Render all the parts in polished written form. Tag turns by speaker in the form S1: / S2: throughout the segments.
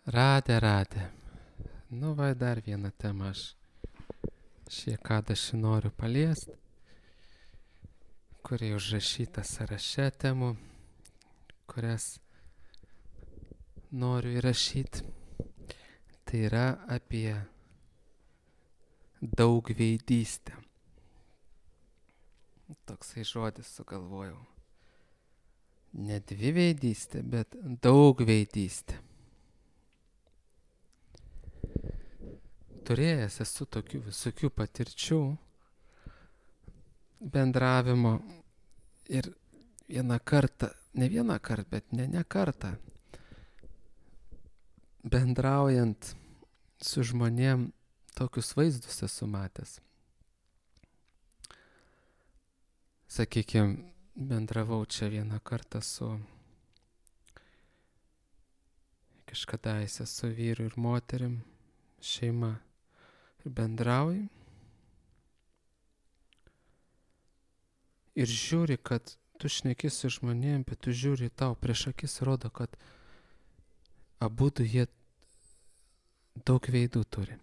S1: Radė. Nu, va, dar vieną temą aš šį noriu paliesti, kuri užrašyta sąraše temų, kurias noriu įrašyti. Tai yra apie daugveidystę. Toksai žodis sugalvojau. Ne dviveidystė, bet daugveidystė. Turėjęs esu tokių visokių patirčių bendravimo ir ne kartą, bendraujant su žmonėm tokius vaizdus esu matęs. Sakykime, bendravau čia vieną kartą kažkadaise su vyru ir moterim, šeima. Ir bendrauji ir žiūri, kad tu šneki su žmonėm, bet tu žiūri tau prieš akis, rodo, kad abudu jie daug veidų turi.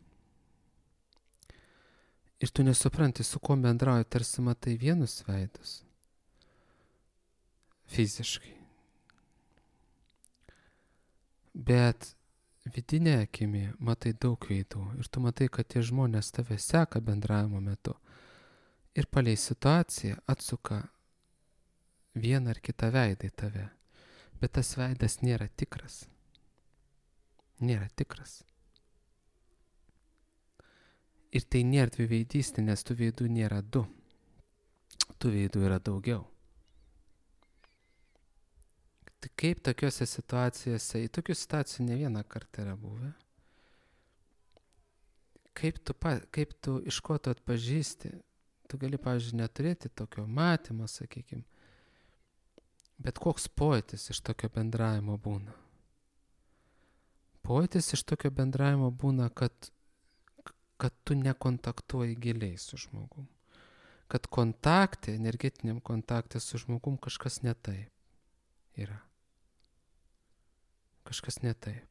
S1: Ir tu nesupranti, su kuo bendrauji, tarsi matai vienus veidus fiziškai. Bet vidinė akimi matai daug veidų ir tu matai, kad tie žmonės tave seka bendravimo metu ir palei situaciją atsuka vieną ar kitą veidą į tave. Bet tas veidas nėra tikras. Ir tai nėra dviveidystė, nes tų veidų nėra du. Tų veidų yra daugiau. Tai kaip tokiuose situacijose, į tokių situacijų ne vieną kartą yra buvę, kaip tu iš ko tu atpažįsti, tu gali, pavyzdžiui, neturėti tokio matymo, sakykime, bet koks pojūtis iš tokio bendravimo būna. Pojūtis iš tokio bendravimo būna, kad tu nekontaktuoji giliai su žmogum. Kad energetiniam kontakte su žmogum kažkas ne taip yra. Kažkas ne taip.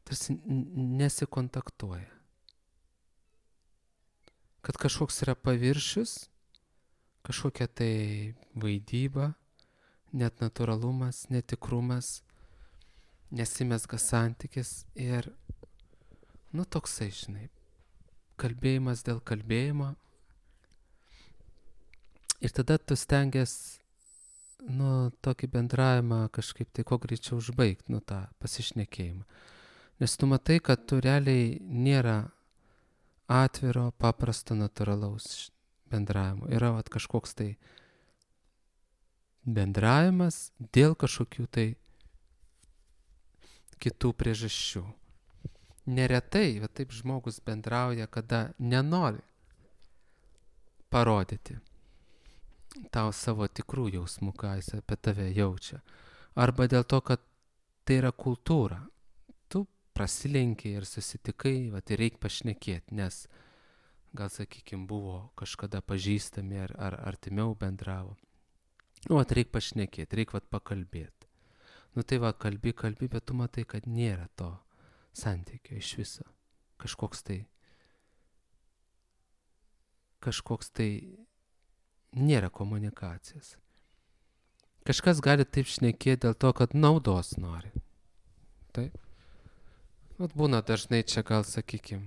S1: Tarsi nesikontaktuoja. Kad kažkoks yra paviršius, kažkokia tai vaidyba, net natūralumas, netikrumas, nesimezga santykis ir, toksai, žinai, kalbėjimas dėl kalbėjimo. Ir tada tu stengiasi tokį bendravimą kažkaip tai kuo greičiau užbaigti, tą pasišnekėjimą. Nes tu matai, kad tu realiai nėra atviro, paprasto, natūralaus bendravimo. Yra kažkoks tai bendravimas dėl kažkokių tai kitų priežasčių. Neretai, taip žmogus bendrauja, kada nenori parodyti tau savo tikrų jausmų, ką jis apie tave jaučia. Arba dėl to, kad tai yra kultūra. Tu prasilenkiai ir susitikai, ir reikia pašnekėti, nes gal, sakykime, buvo kažkada pažįstami ar artimiau bendravo. Reikia pašnekėti, reikia pakalbėti. Kalbi, bet tu matai, kad nėra to santykio iš viso. Kažkoks tai nėra komunikacijos. Kažkas gali taip šnekėti dėl to, kad naudos nori. Taip. Būna dažnai čia gal, sakykime,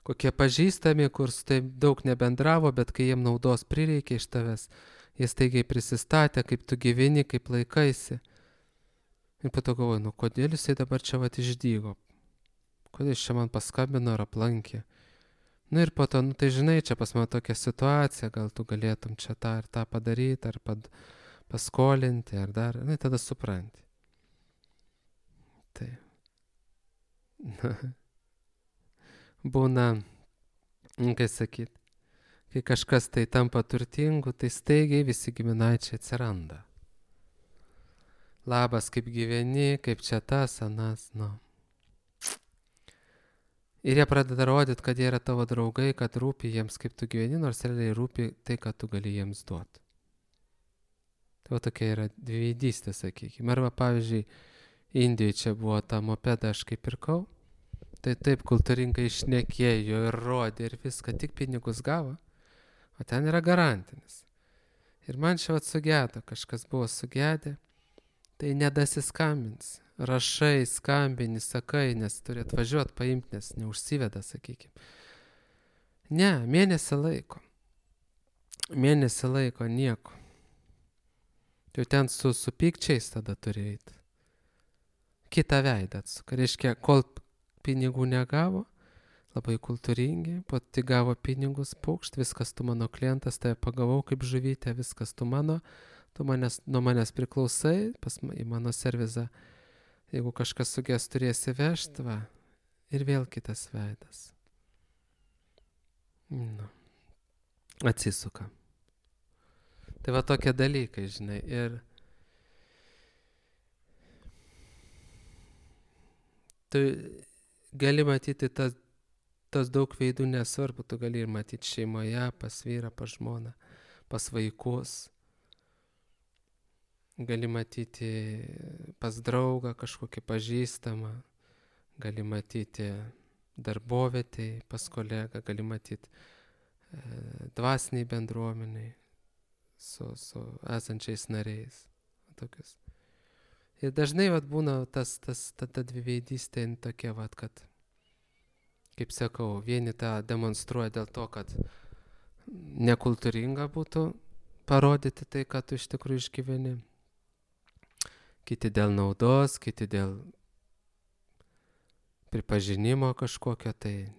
S1: kokie pažįstami, kur taip daug nebendravo, bet kai jiem naudos prireikia iš tavęs, jie staigiai prisistatė, kaip tu gyveni, kaip laikaisi. Ir po to galvoju, kodėl jisai dabar čia išdygo? Kodėl jis čia man paskambino ar aplankė? Ir po to, tai žinai, čia pas mane tokia situacija, gal tu galėtum čia tą ir tą padaryti, ar paskolinti, ar dar, tada supranti. Tai. Būna, kai sakyt, kai kažkas tai tampa turtingu, tai staigiai visi giminaičiai atsiranda. Labas, kaip gyveni, kaip čia tas, anas, Ir jie pradeda rodyti, kad jie yra tavo draugai, kad rūpi jiems, kaip tu gyveni, nors realiai rūpi tai, kad tu gali jiems duoti. Tai va tokia yra dviveidystė, sakykime. Arba pavyzdžiui, Indijoje čia buvo tą mopedą aš kaip pirkau, tai taip kultūringai išnekėjo ir rodė ir viską, tik pinigus gavo, o ten yra garantinis. Ir man čia sugedo, kažkas buvo sugedę, tai nedasiskambins. Rašai, skambini, sakai, nes turi atvažiuoti, paimti, nes neužsiveda, sakykime. Ne, mėnesį laiko. Mėnesį laiko nieko. Tai ten su pykčiais tada turi eiti. Kitą veidą atsuka. Reiškia, kol pinigų negavo, labai kultūringi, po tik gavo pinigus, pukšt, viskas tu mano klientas, tai pagavau kaip žuvytė, viskas tu mano, nuo manęs priklausai, į mano servizą, jeigu kažkas suges turėsi vežti, va, ir vėl kitas veidas. Nu, atsisuka. Tai va tokie dalykai, žinai, ir tu gali matyti tas daug veidų nesvarbu, tu gali ir matyti šeimoje, pas vyrą, pas žmoną, pas vaikus. Gali matyti pas draugą kažkokį pažįstamą, gali matyti darbovietėj, pas kolegą, gali matyti dvasiniai bendruomeniai su esančiais nariais. Tokius. Ir dažnai vat, būna ta dviveidystė tokia, vat, kad, kaip sakau, vieni tą demonstruoja dėl to, kad nekultūringa būtų parodyti tai, ką tu iš tikrųjų išgyveni. Kiti dėl naudos, kiti dėl pripažinimo kažkokio, tai,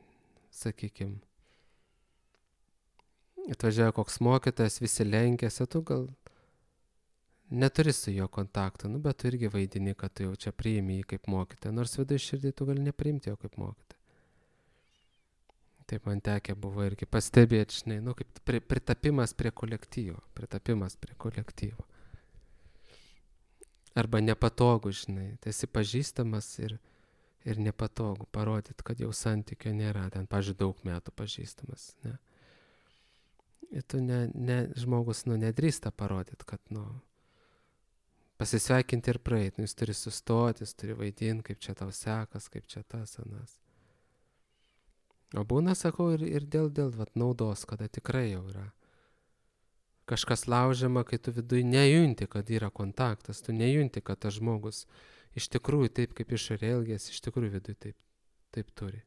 S1: sakykime, atvažiuoja koks mokytojas, visi lenkėsi, tu gal neturi su jo kontakto, bet tu irgi vaidini, kad tu jau čia priimi jį kaip mokytoją, nors viduje širdį tu gali nepriimti jo kaip mokytoją. Taip man tekę buvo irgi pastebėti, žinai, kaip pritapimas prie kolektyvo. Arba nepatogu, žinai, tai esi pažįstamas ir nepatogu parodyti, kad jau santykio nėra, ten, pavyzdžiui, daug metų pažįstamas, ne. Ir tu žmogus, nedrįsta parodyti, kad, pasisveikinti ir praeiti, jis turi sustoti, jis turi vaidinti, kaip čia tau sekas, kaip čia tas, anas. O būna, sakau, ir dėl vat, naudos, kada tikrai jau yra kažkas laužiama, kai tu viduje nejunti, kad yra kontaktas, tu nejunti, kad tas žmogus iš tikrųjų taip, kaip išorė elgėsi, iš tikrųjų viduje taip turi.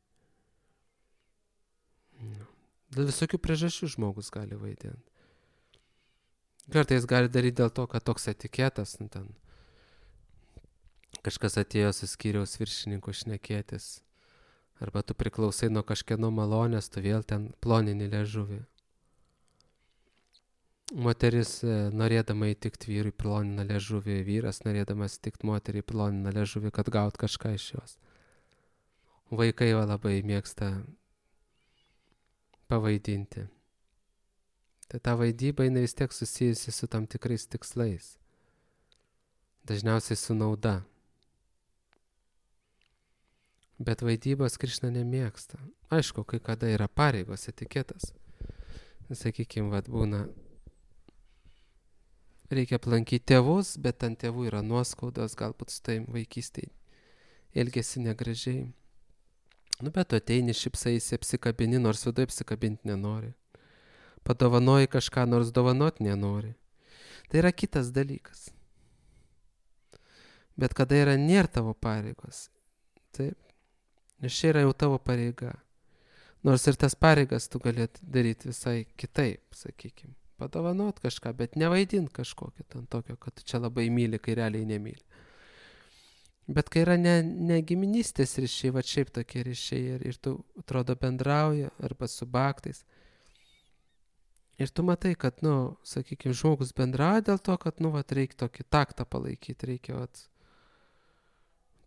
S1: Dėl visokių priežasčių žmogus gali vaidinti. Kartais gali daryti dėl to, kad toks etiketas, ten kažkas atėjo su skyriaus viršininku šnekėtis, arba tu priklausai nuo kažkieno malonės, tu vėl ten plonini liežuvį. Moteris norėdama įtikti vyrui plonina liežuvį, vyras norėdamas įtikti moteriai plonina liežuvį, kad gaut kažką iš jos. Vaikai labai mėgsta pavaidinti. Tai ta vaidyba jinai vis tiek susijusi su tam tikrais tikslais. Dažniausiai su nauda. Bet vaidybos Krišna nemėgsta. Aišku, kai kada yra pareigos, etiketas. Sakykime, vat būna, reikia aplankyti tėvus, bet ant tėvų yra nuoskaudos, galbūt su taim vaikystėje elgėsi negražiai. Bet tu ateini, šipsaisi, apsikabini, nors viduje apsikabinti nenori. Padovanoji kažką, nors dovanoti nenori. Tai yra kitas dalykas. Bet kada nėra tavo pareigos, taip, nes čia yra jau tavo pareiga. Nors ir tas pareigas tu galėt daryti visai kitaip, sakykime. Padovanot kažką, bet nevaidint kažkokio ten tokio, kad tu čia labai myli, kai realiai nemyli. Bet kai yra ne giminystės ryšiai, va šiaip tokie ryšiai ir tu atrodo bendrauji arba su baktais. Ir tu matai, kad, sakykime, žmogus bendrauja dėl to, kad, reikia tokį taktą palaikyti, reikia,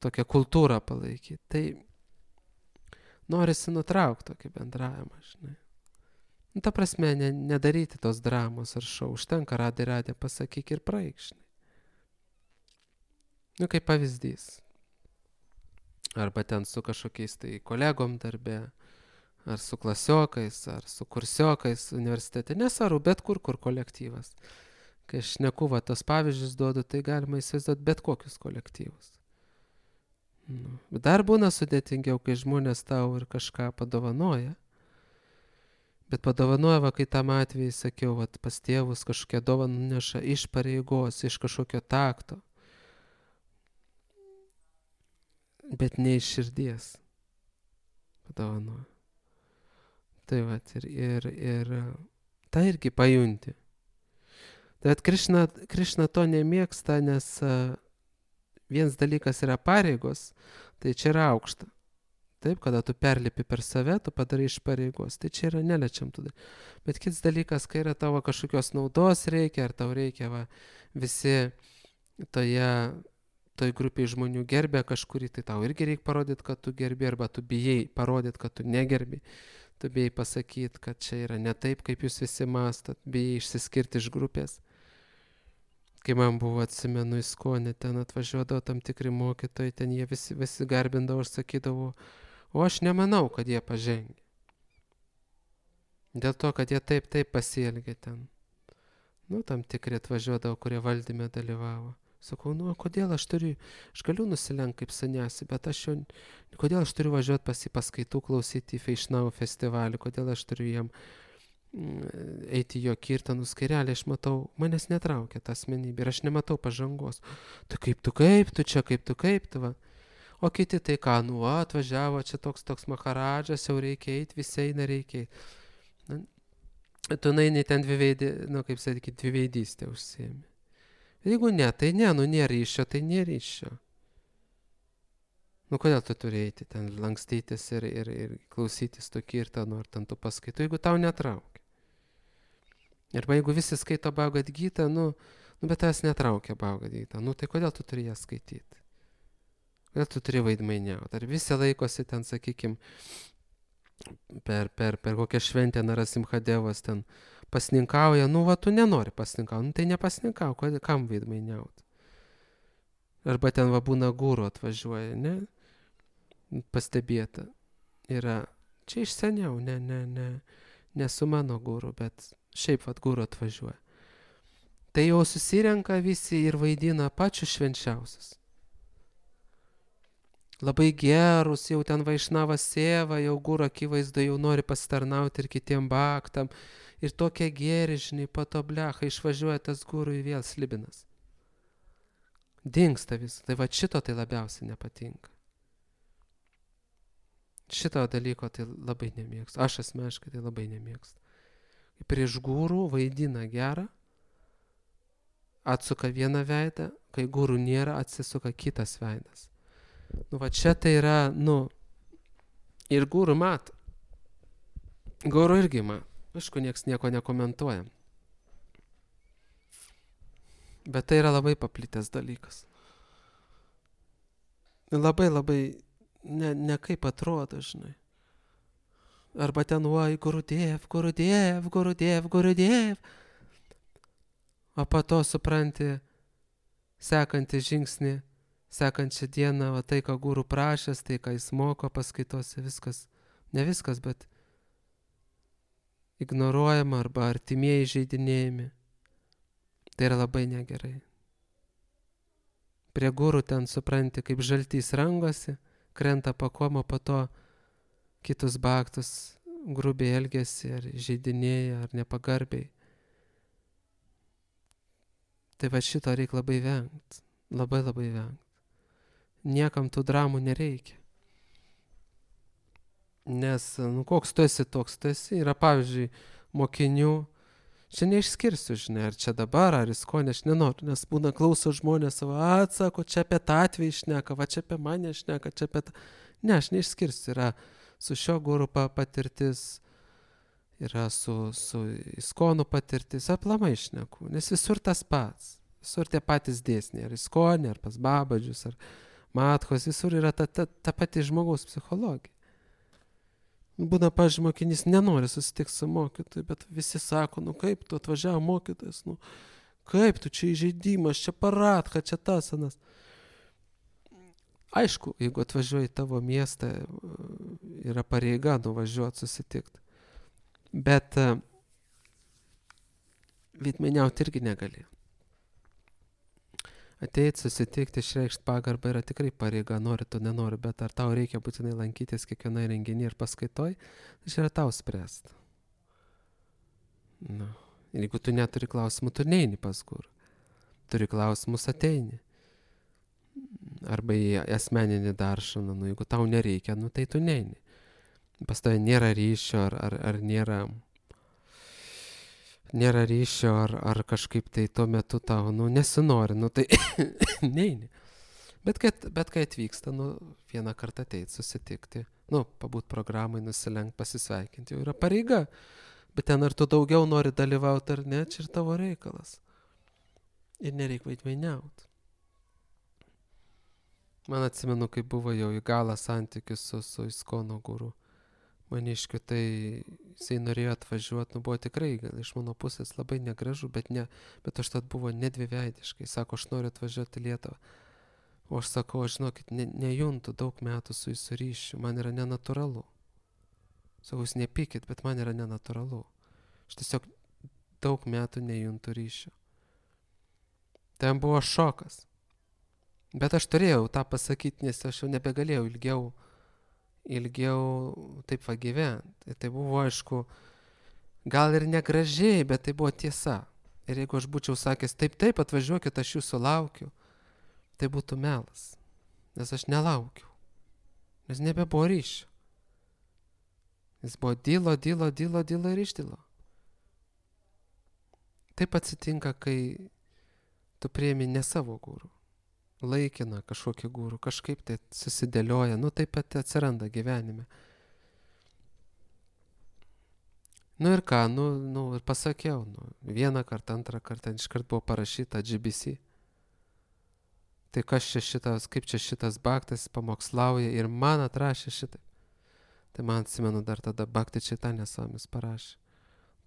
S1: tokią kultūrą palaikyti. Tai norisi nutraukti tokį bendravimą, žinai. Ta prasme, nedaryti tos dramos ar šou, užtenka radė, pasakyk ir praeik, žinai. Kaip pavyzdys. Arba ten su kažkokiais tai kolegom darbe, ar su klasiokais, ar su kursiokais universitete, nesvarbu, bet kur kolektyvas. Kai aš šneku, va, tos pavyzdžius duodu, tai galima įsivaizduoti bet kokius kolektyvus. Nu, dar būna sudėtingiau, kai žmonės tau ir kažką padovanoja. Bet padovanoja, va, kai tam atvejai sakiau, va, pas tėvus kažkokią dovaną neša iš pareigos, iš kažkokio takto. Bet ne iš širdies padovanoja. Tai va, ir tą irgi pajunti. Bet Krišna to nemėgsta, nes vienas dalykas yra pareigos, tai čia yra aukšta. Taip, kada tu perlipi per save, tu padarai iš pareigos, tai čia yra neliečiam tada. Bet kitas dalykas, kai yra tavo kažkokios naudos reikia, ar tau reikia, va, visi toj grupiai žmonių gerbė kažkurį, tai tau irgi reikia parodyti, kad tu gerbi, arba tu bijai parodyti, kad tu negerbi. Tu bijai pasakyti, kad čia yra ne taip, kaip jūs visi mastot, bijai išsiskirti iš grupės. Kai man buvo, atsimenu, ISKONE, ten atvažiuodavo tam tikri mokytojai, ten jie visi garbindavo ir sakydavo, o aš nemanau, kad jie pažengė. Dėl to, kad jie taip pasielgė ten. Nu, tam tikri atvažiuodavo, kurie valdyme dalyvavo. Sakau, nu, kodėl aš galiu nusilenkti kaip sanesi, bet kodėl aš turiu važiuoti pas į paskaitų klausyti į Feišnau festivalį, kodėl aš turiu jam eiti jo kirtanus, kai realiai aš matau, manęs netraukia ta asmenybė ir aš nematau pažangos. Tai kaip tu čia, kaip tu, va. O kiti tai ką, nu, atvažiavo, čia toks maharadžas, jau reikia eiti, visi eina reikia eiti. Tu naini ten dviveidystė užsiėmė. Jeigu ne, tai ne, nu, nėra ryšio, tai nėra ryšio. Nu, kodėl tu turi eiti ten lankstytis ir klausytis to kirtano ar ten tu paskaitų, jeigu tau netraukia. Arba jeigu visi skaito Bhagavad Gitą, nu, bet tavęs netraukia Bhagavad Gitą, nu, tai kodėl tu turi ją skaityti? Kodėl tu turi vaidmainiauti? Ar visi laikosi ten, sakykim, per kokią šventę Narasimhadevas ten pasninkauja, nu, va, tu nenori pasninkauti, nu, tai nepasninkau, kam vaidmainiauti? Arba ten va būna guru atvažiuoja, ne? Pastebėta. Yra, čia iš seniau, ne su mano guru, bet šiaip vat guru atvažiuoja. Tai jau susirenka visi ir vaidina pačius švenčiausius. Labai gerus, jau ten Vaišnava Seva, jau guru akivaizdu, jau nori pasitarnauti ir kitiem bhaktam. Ir tokie geri, žinai, po to blecha išvažiuoja tas guru į vėl slibinas. Dingsta vis. Tai va šito tai labiausiai nepatinka. Šito dalyko tai labai nemėgstu. Aš asmeniškai tai labai nemėgstu. Prieš gurų vaidina gerą, atsuka vieną veidą, kai gurų nėra, atsisuka kitas veidas. Nu va čia tai yra, nu, ir gurų mato. Gurų irgi mato. Aišku, nieks nieko nekomentuoja. Bet tai yra labai paplitęs dalykas. Labai, ne kaip atrodo, žinai. Arba ten, oi, Gurudiev. O po to supranti, sekantį žingsnį, sekančią dieną, o tai, ką guru prašęs, tai, ką jis moko paskaitose, viskas, ne viskas, bet ignoruojama arba artimieji žeidinėjami. Tai yra labai negerai. Prie gurų ten supranti, kaip žaltys rangosi, krenta pakoma, po to kitus bhaktus grubiai elgesi, ar žeidinėja, ar nepagarbiai. Tai va šito reikia labai vengti. Labai vengti. Niekam tų dramų nereikia. Nes, nu, koks tu esi, toks tu esi. Yra, pavyzdžiui, mokinių. Čia neišskirsiu, žinai, ar čia dabar, ar ISKONE, aš nenoriu, nes būna klauso žmonės savo, atsako, čia apie tą atvejį šneka, va čia apie mane šneka, čia apie tą. Ne, aš neišskirsiu, yra su šio guru patirtis, yra su ISKONų patirtis, aplamai šneku, nes visur tas pats, visur tie patys dėsniai, ar ISKONE, ar pas Babadžius, ar Mathos, visur yra ta pati žmogaus psichologija. Būna, pavyzdžiui, mokinys nenori susitikti su mokytoju, bet visi sako, nu kaip tu atvažiavo mokytojas, nu kaip tu čia įžeidimas, čia paradka, čia tas anas. Aišku, jeigu atvažiuoji į tavo miestą, yra pareiga nuvažiuoti susitikti. Bet veidmainiauti irgi negali. Ateit, susitikti, išreikšti pagarbą yra tikrai pareiga, nori tu, nenori, bet ar tau reikia būtinai lankytis kiekvienai renginį ir paskaitoj, tai čia yra tau spręsti. Nu. Ir jeigu tu neturi klausimų, tu neini pas gurų. Turi klausimus, ateini. Arba į asmeninį daršaną, nu, jeigu tau nereikia, nu, tai tu neini. Pas tavai nėra ryšio, ar nėra ryšio, ar kažkaip tai tuo metu tau, nu, nesinori, nu, tai neini. Bet kai atvyksta, nu, vieną kartą ateit, susitikti, nu, pabūt programai, nusilenkt, pasisveikinti, jau yra pareiga. Bet ten ar tu daugiau nori dalyvauti ar ne, čia ir tavo reikalas. Ir nereik vaidmainiauti. Man atsimenu, kai buvo jau į galą santykis su Iskono guru Maniškiu, tai jisai norėjo atvažiuoti, nu buvo tikrai gal iš mano pusės labai negražu, bet užtat buvo nedviveidiškai. Sako, aš noriu atvažiuoti į Lietuvą. O aš sakau, aš žinokit, nejuntu daug metų su jūsų ryšiu, man yra nenatūralu. Sakau, jūs nepykit, bet man yra nenatūralu. Aš tiesiog daug metų nejuntu ryšio. Ten buvo šokas. Bet aš turėjau tą pasakyti, nes aš jau nebegalėjau ilgiau taip va gyventi. Tai buvo, aišku, gal ir negražiai, bet tai buvo tiesa. Ir jeigu aš būčiau sakęs, taip, atvažiuokit, aš jūsų laukiu, tai būtų melas. Nes aš nelaukiu. Nes nebebuvo ryšio. Jis buvo dylo ir išdilo. Taip atsitinka, kai tu priemi ne savo gurų. Laikina kažkokį gurų, kažkaip tai susidėlioja, nu taip pat atsiranda gyvenime. Nu ir ką, nu ir pasakiau, vieną kartą, antrą kartą, iškart buvo parašyta GBC. Tai kas čia šitas, kaip čia šitas Bhaktas pamokslauja ir man atrašė šitai. Tai man atsimenu dar tada Bhakti Chaitanya Swamis parašė.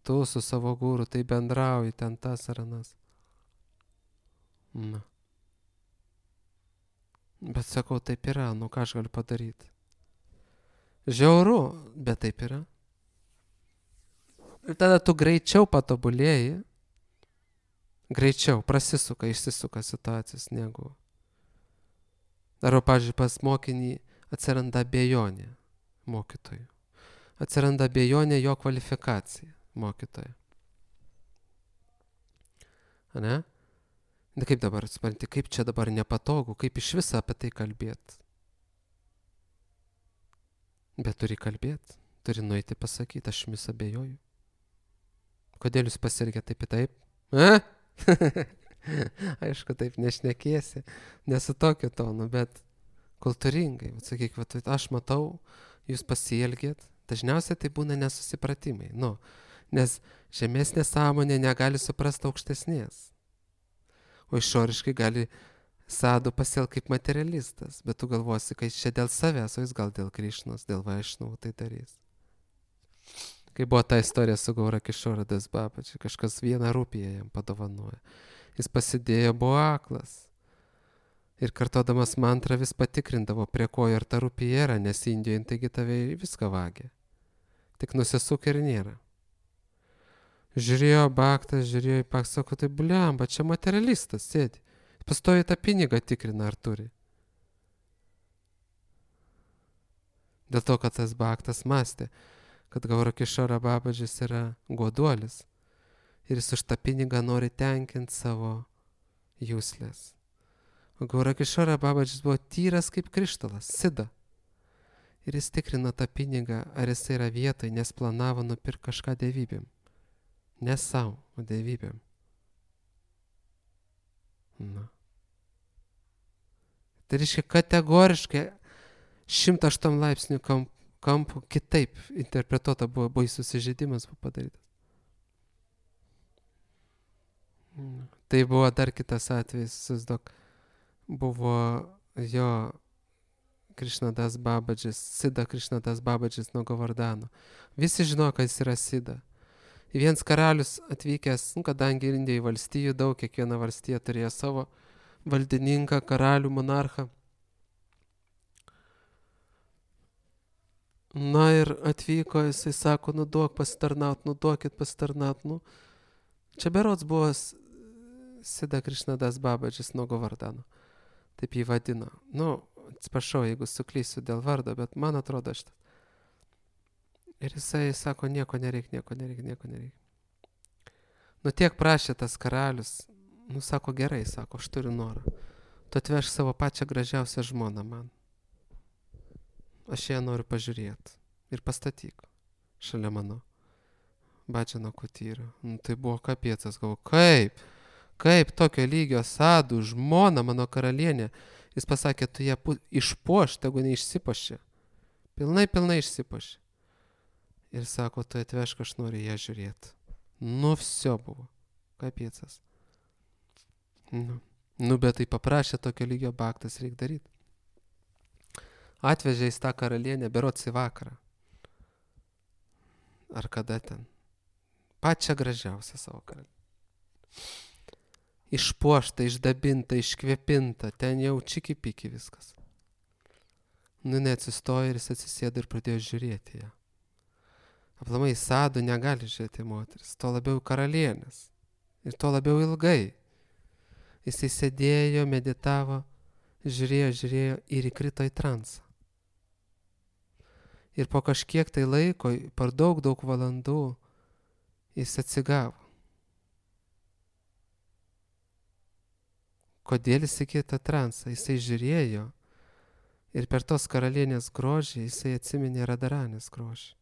S1: Tu su savo guru tai bendrauji, ten tas ar anas. Na. Bet sakau, taip yra, nu ką aš galiu padaryti. Žiauru, bet taip yra. Ir tada tu greičiau patobulėji, greičiau išsisuka situacijos negu. Arba, pavyzdžiui, pas mokinį atsiranda abejonė mokytojų. Atsiranda abejonė jo kvalifikacija mokytojo. Ane? Kaip dabar, supranti, kaip čia dabar nepatogu, kaip iš viso apie tai kalbėti. Bet turi kalbėti, turi nueiti pasakyti, aš vis abejoju. Kodėl jūs pasirgė taip ir taip? Aišku, taip nešnekėsi, nesu tokiu tonu, bet kultūringai. Sakyk, aš matau, jūs pasielgėt, dažniausiai tai būna nesusipratimai. Nes žemesnė sąmonė negali suprasti aukštesnės. O išoriškai gali sadų pasielgti kaip materialistas, bet tu galvosi, kad čia dėl savęs, o jis gal dėl Krišnos, dėl Vaišnavų tai darys. Kai buvo ta istorija su Gaura Kišora Das Babaji, kažkas 1 rupiją jam padovanoja. Jis pasidėjo, buvo aklas. Ir kartodamas mantrą vis patikrindavo, prie ko ir ta rupija yra, nes Indijoje taigi tave viską vagė. Tik nusisuk ir nėra. Žiūrėjo Bhaktas, sako, tai bliamba, čia materialistas sėdi. Pastovi tą pinigą tikrina, ar turi. Dėl to, kad tas Bhaktas mąstė, kad Gaura Kišora Babadžis yra goduolis ir jis už tą pinigą nori tenkinti savo jūslės. O Gaura Kišora Babadžis buvo tyras kaip krištolas, sida. Ir jis tikrino tą pinigą, ar jis yra vietoj, nes planavo nupirkti kažką dievybėm. Ne savo, o dievybėm. Na. Tai reiškia kategoriškai 108 laipsnių kampų kitaip interpretuota buvo baisus įžeidimas padarytas. Tai buvo dar kitas atvejis, susdok, buvo jo Krišnadas Babadžis, Sida Krišnadas Babadžis nuo Govardano. Visi žino, kad jis yra Sida. Vienas karalius atvykęs, kadangi Indijoje valstijų daug, kiekviena valstija turėjo savo valdininką, karalių, monarchą. Na ir atvyko, jisai sako, duokit pasitarnaut, Čia berods buvo Sida Krišnadas Babadžis nuo Govardano. Taip jį vadino. Atsiprašau, jeigu suklysiu dėl vardo, bet man atrodo šitas. Ir jisai sako, nieko nereik. Tiek prašė tas karalius. Sako, gerai, sako, aš turiu norą. Tu atveš savo pačią gražiausią žmoną man. Aš ją noriu pažiūrėti. Ir pastatyk šalia mano Badžano kutyro. Tai buvo kapiecas, galvoju, kaip tokio lygio sadų žmona mano karalienė. Jis pasakė, tu ją išpuoš, tegu neišsipuoši. Pilnai išsipuoši. Ir sako, tu atvešk, aš noriu ją žiūrėti. Vsio buvo. Kapiecas. Bet tai paprašė tokio lygio baktas, reik daryti. Atvežė į tą karalienę, berods į vakarą. Ar kada ten? Pačią gražiausią savo karalienę. Išpuošta, išdabinta, iškvėpinta, ten jau čiki-piki viskas. Neatsistojo ir jis atsisėdo ir pradėjo žiūrėti ją. Aplamai sadų negali žiūrėti moteris, to labiau karalienės. Ir to labiau ilgai. Jisai sėdėjo, meditavo, žiūrėjo ir įkrito į transą. Ir po kažkiek tai laiko, per daug valandų, jis atsigavo. Kodėl jis įkrito į transą? Jisai žiūrėjo ir per tos karalienės grožį jisai atsiminė Radaranės grožį.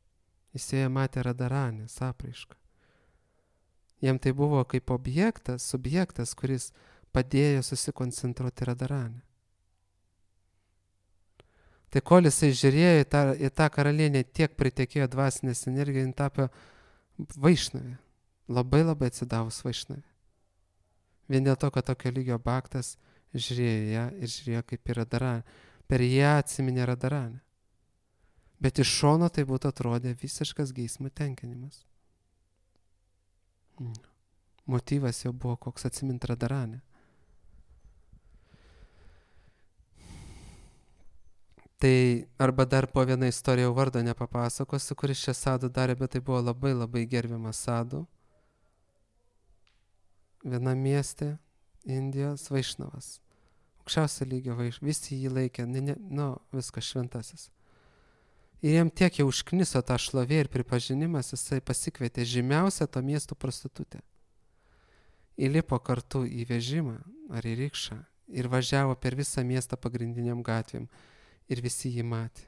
S1: Jis joje matė Radaranės apraišką. Jam tai buvo kaip subjektas, kuris padėjo susikoncentruoti Radaranę. Tai kol jisai žiūrėjo į tą karalienę, tiek pritekėjo dvasinės energijos, jin tapo vaišnavė. Labai atsidavus vaišnavė. Vien dėl to, kad tokio lygio baktas žiūrėjo ją ir žiūrėjo kaip į Radaranę. Per ją atsiminė Radaranę. Bet iš šono tai būtų atrodė visiškas geismo tenkinimas. Motyvas jau buvo koks atsiminti Radaranę. Tai arba dar po vieną istoriją vardo nepapasakosiu, kuris čia sadų darė, bet tai buvo labai gerbiamas sadų. Vienam mieste Indijos vaišnavas. Aukščiausio lygio vaišnavas. Visi jį laikė, viskas šventasis. Ir jam tiek jau užkniso tą šlovė ir pripažinimas, jisai pasikvietė žymiausią to miesto prostitutę. Įlipo kartu į vežimą ar į rikšą ir važiavo per visą miestą pagrindiniam gatvėm. Ir visi jį matė.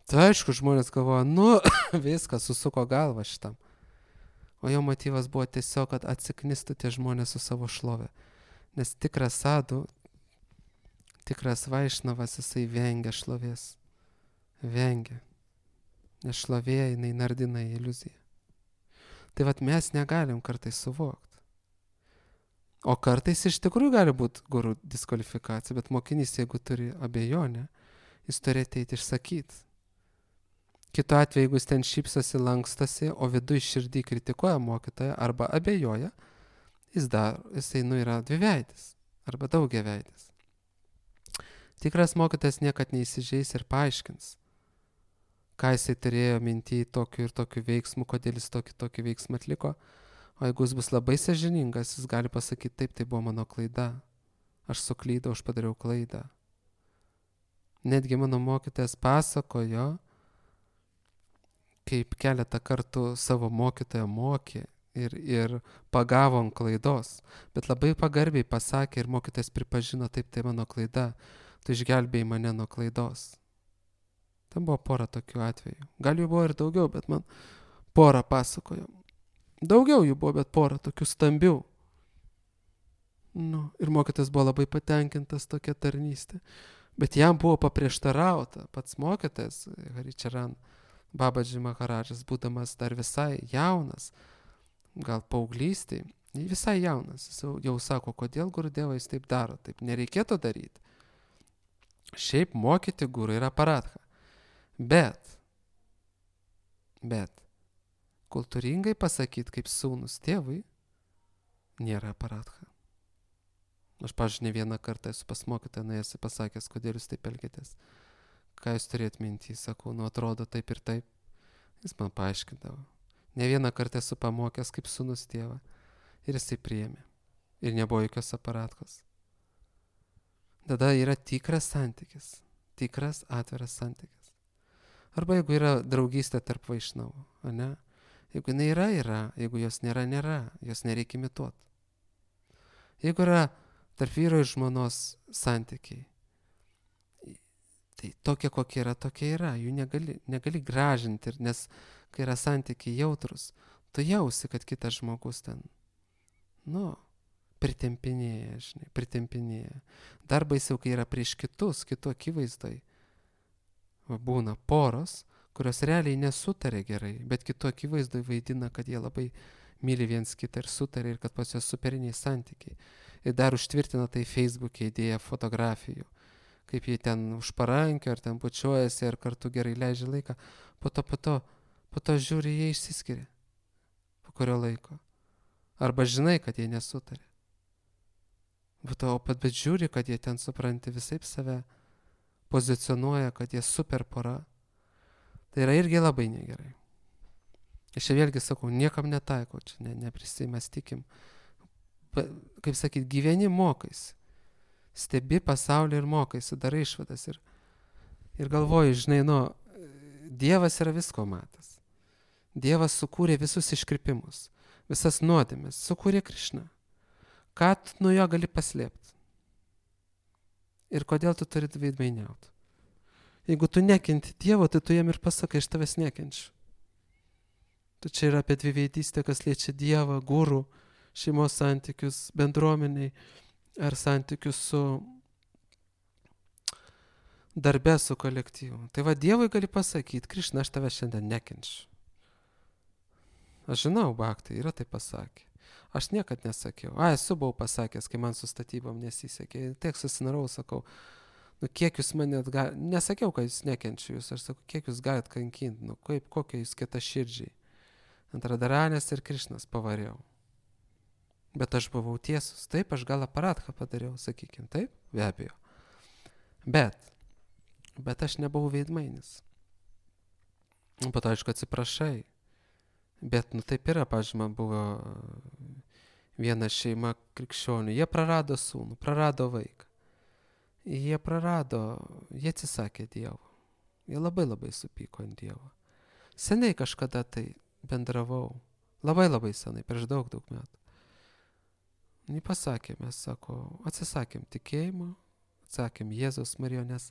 S1: Tai aišku, žmonės galvoja, viskas, susuko galvą šitam. O jo motyvas buvo tiesiog, kad atsiknistų tie žmonės su savo šlove. Nes tikras sadų, tikras vaišnavas, jisai vengia šlovės. Vengia. Nes šlovė, jinai nardina į iliuziją. Tai mes negalim kartais suvokti. O kartais iš tikrųjų gali būti guru diskvalifikacija, bet mokinys, jeigu turi abejonę, jis turi ateiti išsakyti. Kitu atveju, jeigu jis ten šypsosi, lankstosi, o viduje širdį kritikuoja mokytoją arba abejoja, jisai yra dviveidis arba daugiaveidis. Tikras mokytojas niekad neįsižeis ir paaiškins, ką jisai turėjo minty tokiu ir tokiu veiksmu, kodėl jis tokį veiksmą atliko. O jeigu jis bus labai sąžiningas, jis gali pasakyti, taip, tai buvo mano klaida. Aš suklydau, aš padariau klaidą. Netgi mano mokytojas pasakojo, kaip keletą kartų savo mokytoją mokė ir pagavo ant klaidos. Bet labai pagarbiai pasakė ir mokytojas pripažino, taip, tai mano klaida. Tu išgelbėjai mane nuo klaidos. Ten buvo pora tokių atvejų. Gal jų buvo ir daugiau, bet man pora pasakojo. Daugiau jų buvo, bet pora tokių stambių. Ir mokytas buvo labai patenkintas tokia tarnystė. Bet jam buvo paprieštarauta. Pats mokytas, Haricharan Babaji Maharadžas, būdamas dar visai jaunas, gal paauglystėj, visai jaunas, jis jau sako, kodėl Gurudeva jis taip daro, taip nereikėtų daryti. Šiaip mokyti guru yra paradha. Bet kultūringai pasakyti kaip sūnus tėvui nėra paradha. Aš, pavyzdžiui, ne vieną kartą esu pas mokytoją nuėjęs ir pasakęs, kodėl jūs taip elgiatės. Ką jūs turėt mintį, sakau, atrodo taip ir taip. Jis man paaiškindavo. Ne vieną kartą esu pamokęs kaip sūnus tėvą. Ir jisai priėmė. Ir nebuvo jokios aparatkos. Tada yra tikras santykis. Tikras atviras santykis. Arba jeigu yra draugystė tarp vaišnavų, ane? Jeigu jinai yra. Jeigu jos nėra. Jos nereikia imituoti. Jeigu yra tarp vyro ir žmonos santykiai, tai tokia kokia yra, tokia yra. Jų negali gražinti, nes kai yra santykiai jautrus, tu jausi, kad kitas žmogus ten, pritempinėja. Dar baisiau, kai yra prieš kitų akivaizdoj. Būna poros, kurios realiai nesutarė gerai, bet kitų akivaizdoj vaidina, kad jie labai myli viens kitą ir sutarė ir kad pas juos superiniai santykiai. Ir dar užtvirtina tai Facebook'e įdėję fotografijų, kaip jie ten už parankio ar ten bučiuojasi ir kartu gerai leidžia laiką. Po to žiūri, jie išsiskiria. Po kurio laiko. Arba žinai, kad jie nesutarė. Bet žiūri, kad jie ten supranti visaip save pozicionuoja, kad jie super pora. Tai yra irgi labai negerai. Aš vėlgi sakau, niekam netaikau, čia neprisimastykim. Kaip sakyt, gyveni mokais. Stebi pasaulį ir mokais, darai išvadas. Ir galvoji, žinai, Dievas yra visko matas. Dievas sukūrė visus iškrypimus, visas nuodėmes, sukūrė Krišną. Ką tu nuo jo gali paslėpti? Ir kodėl tu turi veidmainiauti? Jeigu tu nekenti Dievo, tai tu jam ir pasakai, aš tavęs nekenčiu. Tu čia yra apie dviveidystę, kas liečia Dievą, gurų, šeimos santykius, bendruomeniai ar santykius su darbe, su kolektyvu. Tai va, Dievui gali pasakyti, Krišna, aš tavęs šiandien nekenčiu. Aš žinau, Bhaktai yra tai pasakė. Aš niekad nesakiau. Esu buvau pasakęs, kai man su statybom nesisekė. Tiek susinarau, sakau, kiek jūs mane nesakiau, kad jūs nekenčiu jūs. Aš sakau, kiek jūs galit kankinti, kokie jūs kieta širdžiai. Ant Radharanės ir Krišnas pavariau. Bet aš buvau tiesus. Taip, aš gal aparatką padariau, sakykim. Taip, be abejo. Bet aš nebuvau veidmainis. Po to, aišku, atsiprašai. Bet, taip yra, pavyzdžiui, man buvo viena šeima krikščionių. Jie prarado sūnų, prarado vaiką. Jie atsisakė Dievo. Jie labai labai supyko ant Dievo. Seniai kažkada tai bendravau. Labai senai, prieš daug metų. Jie pasakė, mes, atsisakėm tikėjimo, atsakėm Jėzaus Marijo, nes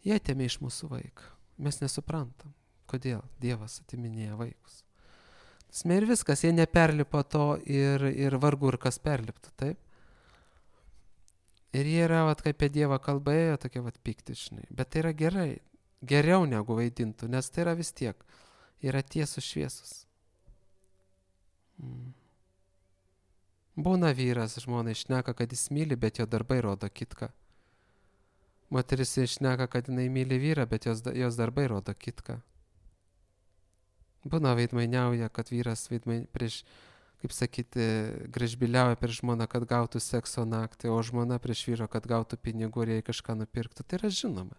S1: jie atėmė iš mūsų vaiką. Mes nesuprantam, kodėl Dievas atiminėja vaikus. Ir viskas, jie neperlipo to ir vargu ir kas perliptų, taip? Ir jie yra, kaip apie Dievą kalbėjo, tokie piktiškai. Bet tai yra gerai, geriau negu vaidintų, nes tai yra vis tiek, yra tiesus šviesus. Būna vyras, žmona išneka, kad jis myli, bet jo darbai rodo kitką. Moteris išneka, kad jinai myli vyrą, bet jos darbai rodo kitką. Būna veidmainiauja, kad vyras prieš, kaip sakyti, gražbiliauja prieš žmoną, kad gautų sekso naktį, o žmona prieš vyro, kad gautų pinigų ir jai kažką nupirktų. Tai yra žinoma.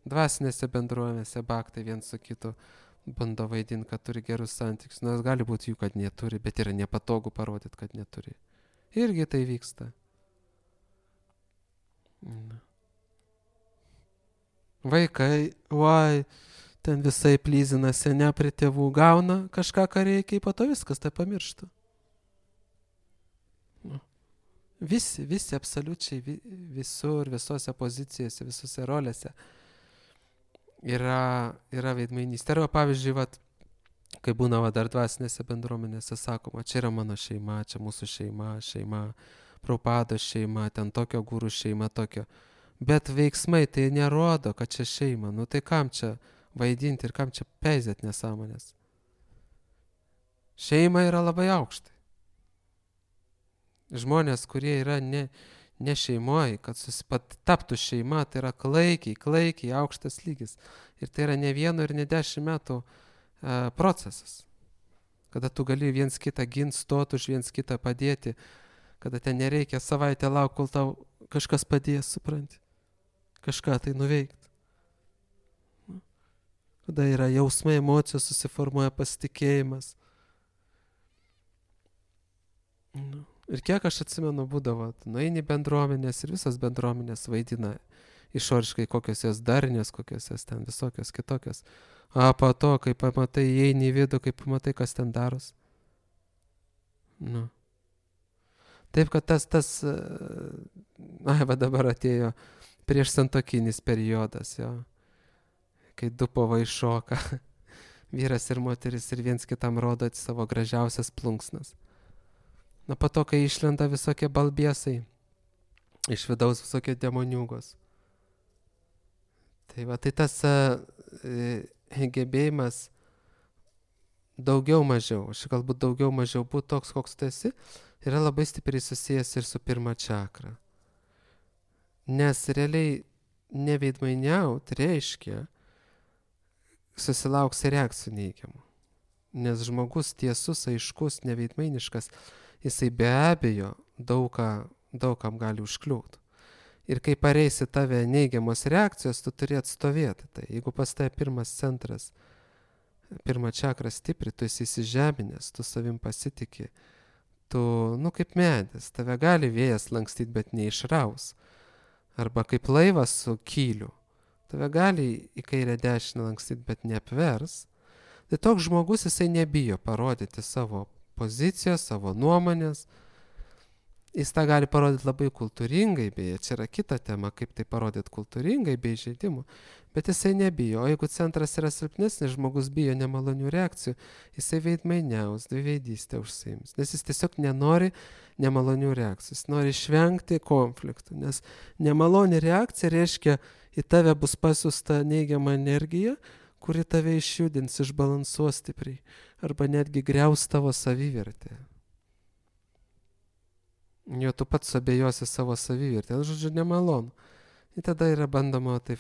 S1: Dvasinėse bendruomenėse Bhaktai viens su kitu bando vaidinti, kad turi gerus santykius. Nors gali būti jų, kad neturi, bet yra nepatogu parodyti, kad neturi. Irgi tai vyksta. Vaikai, ten visai plyzina senę prie tėvų, gauna kažką, ką reikia, po to viskas tai pamiršta. Visi absoliučiai visur, visose pozicijose, visose rolėse yra veidmainystė. Arba pavyzdžiui, kai būna dar dvasinėse bendruomenėse sakoma, čia yra mano šeima, čia mūsų šeima, Prabhupados šeima, ten tokio gurų šeima, tokio. Bet veiksmai tai nerodo, kad čia šeima. Tai kam čia vaidinti ir kam čia peizėt nesąmonės? Šeima yra labai aukštai. Žmonės, kurie yra ne šeimoje, kad taptų šeima, tai yra klaikiai aukštas lygis. Ir tai yra ne 1 ir ne 10 metų procesas. Kada tu gali viens kitą ginti, stoti už viens kitą padėti, kada ten nereikia savaitę laukti, kol tau kažkas padės, supranti. Kažką tai nuveikti.
S2: Tada yra jausmai, emocijos, susiformuoja pasitikėjimas. Nu. Ir kiek aš atsimenu būdavo, nueini bendruomenės ir visas bendruomenės vaidina išoriškai kokios jos darnios, kokios jos ten visokios kitokios. O po to, kai pamatai, įeini į vidų, kai pamatai, kas ten daros. Nu. Taip, kad va dabar atėjo prieš santuokinis periodas, jo, kai du povai šoka, vyras ir moteris ir viens kitam rodo savo gražiausias plunksnas. Na, po to, kai išlenda visokie balbiesai, iš vidaus visokie demoniūgos. Tai va, tai tas gebėjimas daugiau mažiau, aš galbūt daugiau mažiau būti toks, koks tu esi, yra labai stipriai susijęs ir su pirma čakra. Nes realiai neveidmainiaut reiškia susilauks reakcijų neigiamų. Nes žmogus tiesus, aiškus, neveidmainiškas, jisai be abejo daugam gali užkliūti. Ir kai pareisi tave neigiamos reakcijos, tu turi atstovėti. Tai jeigu pas tave pirmas centras, pirma čakra stipri, tu esi įsižeminęs, tu savim pasitikė, tu, kaip medis, tave gali vėjas lankstyti, bet neišraus. Arba kaip laivas su kyliu, tave gali į kairę dešinę lankstyti, bet neapvers. Tai toks žmogus, jisai nebijo parodyti savo pozicijos, savo nuomonės. Jis tą gali parodyti labai kultūringai, beje, čia yra kita tema, kaip tai parodyti kultūringai, be įžeidimų, bet jisai nebijo. O jeigu centras yra silpnesnis, žmogus bijo nemalonių reakcijų, jisai veidmainiaus, dviveidystę užsiims, nes jis tiesiog nenori nemalonių reakcijų, jis nori išvengti konfliktų, nes nemaloni reakcija reiškia, į tave bus pasiųsta neigiama energija, kuri tave išjudins, išbalansuos stipriai, arba netgi griaus tavo savivertę. Jo tu pats abejosi savo savivertę, žodžiu, nemalonu. Ir tada yra bandoma taip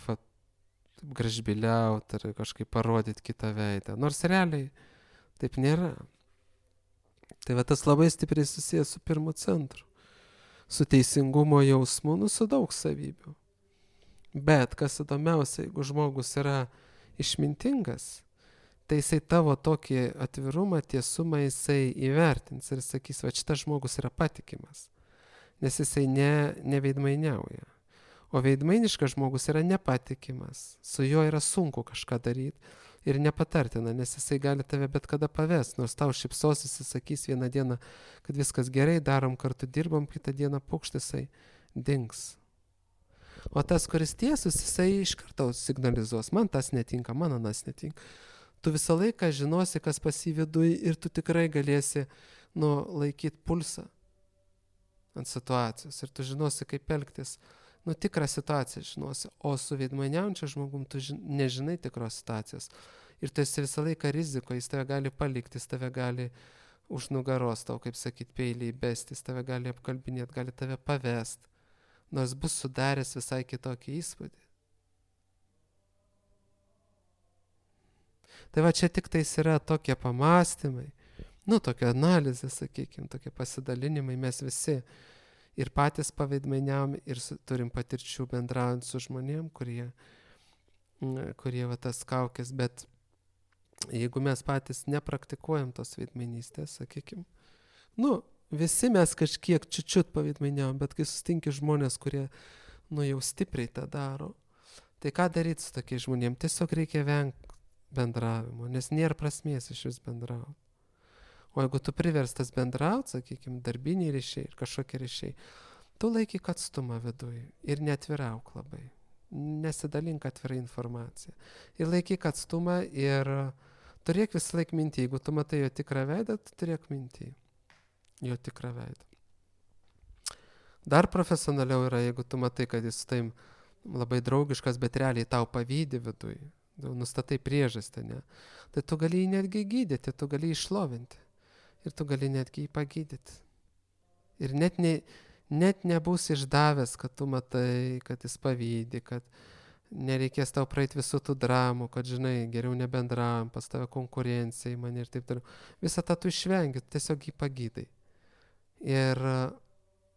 S2: gražbiliauti ar kažkaip parodyti kitą veidą. Nors realiai taip nėra. Tai va tas labai stipriai susijęs su pirmu centru. Su teisingumo jausmu, su daug savybių. Bet kas įdomiausia, jeigu žmogus yra išmintingas, tai jisai tavo tokį atvirumą, tiesumą jisai įvertins ir sakys, va šitas žmogus yra patikimas. Nes jisai neveidmainiauja. O veidmainiškas žmogus yra nepatikimas. Su juo yra sunku kažką daryti ir nepatartina, nes jisai gali tave bet kada pavesti. Nors tau šipsosis, jis sakys vieną dieną, kad viskas gerai, darom kartu, dirbam, kitą dieną pukštisai dings. O tas, kuris tiesus, jisai iš karto signalizuos, man tas netinka, man anas netinka. Tu visą laiką žinosi, kas pas jį viduj ir tu tikrai galėsi laikyti pulsą ant situacijos ir tu žinosi, kaip elgtis. Tikrą situaciją žinosi, o su veidmainiaujančiu žmogum tu nežinai tikros situacijos. Ir tu esi visą laiką riziko, jis tave gali palikti, jis tave gali už nugaros tau, kaip sakyti, peilį įbesti, jis tave gali apkalbinėti, gali tave pavest, nors bus sudaręs visai kitokį įspūdį. Tai va čia tik tais yra tokie pamastymai, tokia analizė, sakykime, tokie pasidalinimai, mes visi ir patys paveidmainiavom ir turim patirčių bendraujant su žmonėm, kurie va tas kaukės, bet jeigu mes patys nepraktikuojam tos veidmainystės, sakykime, visi mes kažkiek čiučiut paveidmainiavom, bet kai susitinki žmonės, kurie, jau stipriai tą daro, tai ką daryti su tokiais žmonėm? Tiesiog reikia vengti bendravimo, nes nėra prasmės iš vis bendrauti. O jeigu tu priverstas bendrauti, sakykime, darbiniai ryšiai ir kažkokie ryšiai, tu laikyk atstumą viduje ir neatvirauk labai. Nesidalink atvirai informaciją. Ir laikyk atstumą ir turėk visą laiką mintį. Jeigu tu matai jo tikrą veidą, tu turėk mintį jo tikrą veidą. Dar profesionaliau yra, jeigu tu matai, kad jis taim labai draugiškas, bet realiai tau pavydi viduje. Nustatai priežastį, ne? Tai tu gali jį netgi gydyti, tu gali jį išlovinti. Ir tu gali netgi jį pagydyti. Ir net nebus išdavęs, kad tu matai, kad jis pavydi, kad nereikės tau praeiti visų tų dramų, kad, žinai, geriau nebendravom, pas tave konkurencija į mane ir taip toliau. Visą tą tu išvengi, tiesiog jį pagydai. Ir,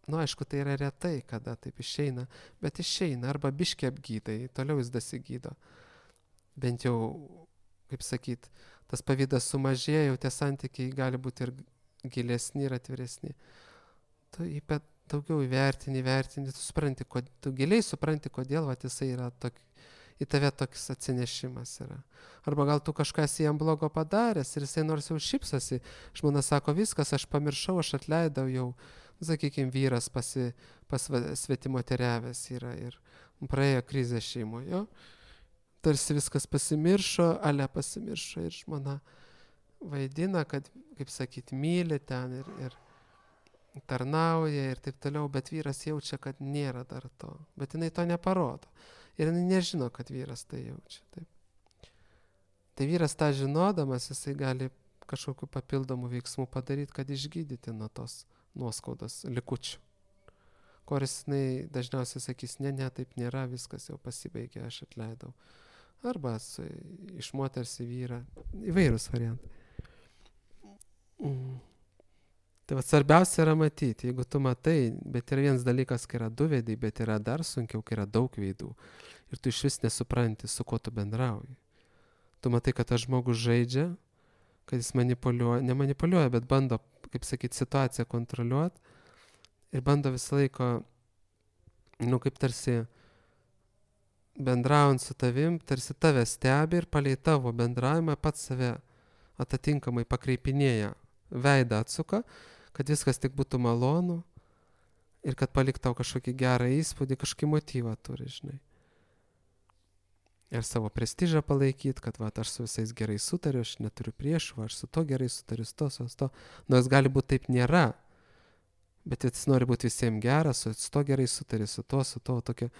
S2: aišku, tai yra retai, kada taip išeina, bet išeina, arba biškį apgydai, toliau jis dasigydo. Bent jau kaip sakyt, tas pavydas sumažėja, jau tie santykiai gali būti ir gilesni ir atviresni. Tu jį daugiau įvertini, tu supranti, tu giliai supranti, kodėl jisai yra į tave toks atsinešimas yra. Arba gal tu kažkas jam blogo padaręs ir jisai nors jau šypsosi, žmona sako, viskas, aš pamiršau, aš atleidau jau, sakykime, vyras pas svetimoteriavęs yra ir praėjo krizę šeimoje, tarsi viskas pasimiršo, ale pasimiršo ir žmona vaidina, kad, kaip sakyti, myli ten ir tarnauja ir taip toliau, bet vyras jaučia, kad nėra dar to, bet jinai to neparodo ir jinai nežino, kad vyras tai jaučia. Taip. Tai vyras tą žinodamas, jisai gali kažkokiu papildomų veiksmų padaryti, kad išgydyti nuo tos nuoskaudos likučių. Kuris jinai dažniausiai sakys, ne, taip nėra, viskas jau pasibaigė, aš atleidau. Arba iš moters į vyrą, įvairūs variantai. Tai svarbiausia yra matyti, jeigu tu matai, bet yra vienas dalykas, kai yra du veidai, bet yra dar sunkiau, kai yra daug veidų. Ir tu iš vis nesupranti, su kuo tu bendrauji. Tu matai, kad tas žmogus žaidžia, kad jis nemanipuliuoja, bet bando, kaip sakyti, situaciją kontroliuoti ir bando visą laiką, kaip tarsi bendraujant su tavim, tarsi tave stebi ir palei tavo bendravimą pats save atitinkamai pakreipinėja, veidą atsuka, kad viskas tik būtų malonu ir kad palik tau kažkokį gerą įspūdį, kažkokį motyvą turi, žinai. Ir savo prestižą palaikyti, kad aš su visais gerai sutariu, aš neturiu priešų, aš su to gerai sutariu, su to. Nors gali būti taip nėra, bet jis nori būti visiems geras, su to gerai sutari, su to, tokio.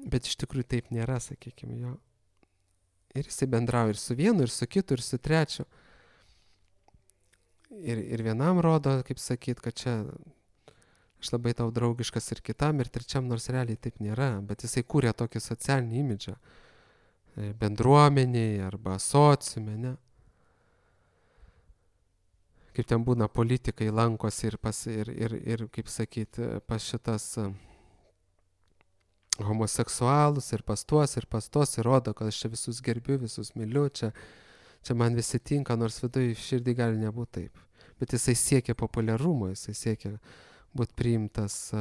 S2: Bet iš tikrųjų taip nėra, sakykime, jo. Ir jisai bendrauja ir su vienu, ir su kitu, ir su trečiu. Ir vienam rodo, kaip sakyt, kad čia aš labai tau draugiškas ir kitam, ir trečiam, nors realiai taip nėra, bet jisai kūrė tokį socialinį imidžą bendruomeniai arba sociume, ne? Kaip ten būna politikai lankosi ir kaip sakyt, pas šitas homoseksualus ir pas tuos, ir rodo, kad aš čia visus gerbiu, visus myliu, čia man visi tinka, nors viduje širdį gali nebūti taip. Bet jisai siekia populiarumo, jisai siekia būti priimtas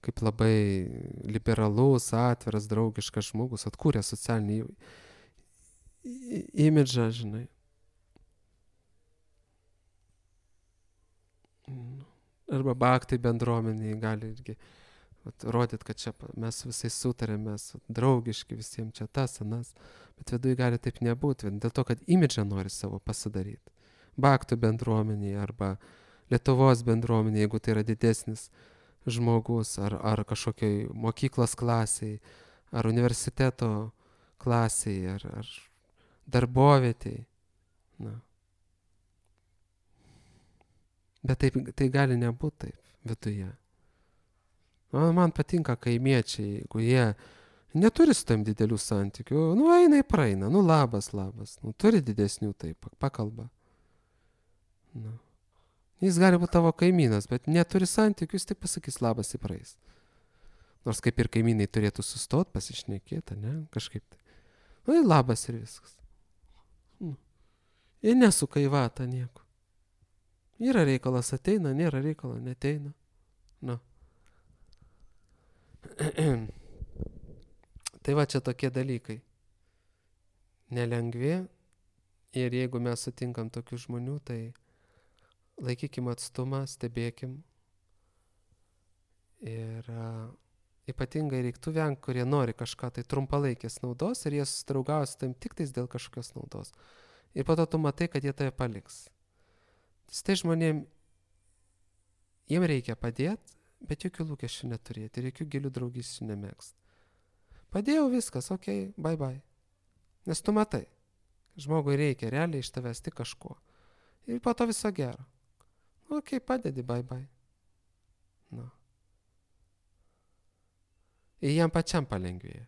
S2: kaip labai liberalus, atviras, draugiškas žmogus, atkūrė socialinį imidžą, žinai. Arba baktai bendruomeniai gali irgi rodyti, kad čia mes visai sutarėm, mes draugiški visiems čia tas, anas, bet viduje gali taip nebūti, dėl to, kad imidžą nori savo pasidaryti. Baktų bendruomeniai arba Lietuvos bendruomeniai, jeigu tai yra didesnis žmogus, ar kažkokioj mokyklos klasiai, ar universiteto klasiai, ar darbovietei. Na. Bet tai gali nebūti taip viduje. Man patinka kaimiečiai, jeigu jie neturi su tam didelių santykių, eina ir praeina, labas, turi didesnių taip, pakalba. Jis gali būti tavo kaimynas, bet neturi santykių, jis tik pasakys labas ir praeis. Nors kaip ir kaimynai turėtų sustot, pasišnekėti, ne, kažkaip tai. Labas ir viskas. Ir nesuka į vatą nieko. Yra reikalas ateina, nėra reikalo neteina. Tai čia tokie dalykai. Nelengvi. Ir jeigu mes sutinkam tokių žmonių, tai laikykim atstumą, stebėkim. Ir ypatingai reiktų vengti, kurie nori kažką tai trumpalaikės naudos ir jie susidraugauja su tam tik tais dėl kažkokios naudos. Ir po to tu matai, kad jie tave paliks. Tai žmonėm, jiem reikia padėti, bet jokių lūkesčių neturėti ir jokių gilių draugysčių nemėgst. Padėjau viskas, okei, bye. Nes tu matai, žmogui reikia realiai iš tavęs tik kažko. Ir po to viso gero. Okei, padedi, bye. Ir jam pačiam palengvėja.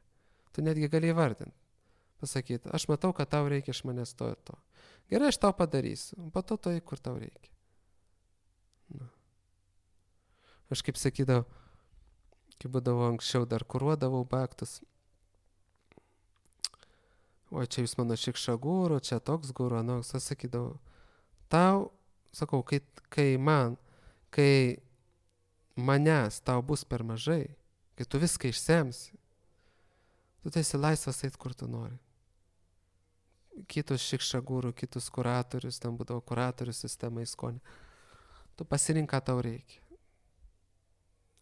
S2: Tu netgi gali įvardinti. Pasakyti, aš matau, kad tau reikia iš manęs to ir to. Gerai, aš tau padarysiu. Po to tai, kur tau reikia. Aš kaip sakydavau, kai būdavau anksčiau, dar kuruodavau baktus. O čia jūs mano šikša guru, čia toks guru, anoks, aš sakydavau, tau, sakau, kai manęs tau bus per mažai, kai tu viską išsemsi, tu esi laisvas eit, kur tu nori. Kitus šikša guru, kitus kuratorius, ten būdavo kuratorių sistema įskonė. Tu pasirink, ką tau reikia.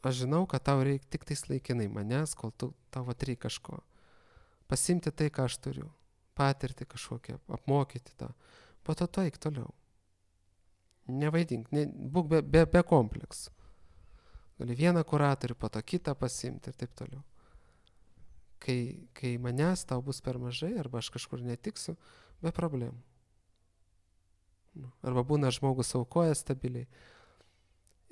S2: Aš žinau, kad tau reikia tik tais laikinai manęs, kol tau reikia kažko. Pasimti tai, ką aš turiu. Patirti kažkokią, apmokyti tą. Po to tu eik toliau. Nevaidink, būk be kompleksų. Gali vieną kuratorių, po to kitą pasimti ir taip toliau. Kai manęs tau bus per mažai, arba aš kažkur netiksiu, be problemų. Arba būna žmogus aukoja stabiliai.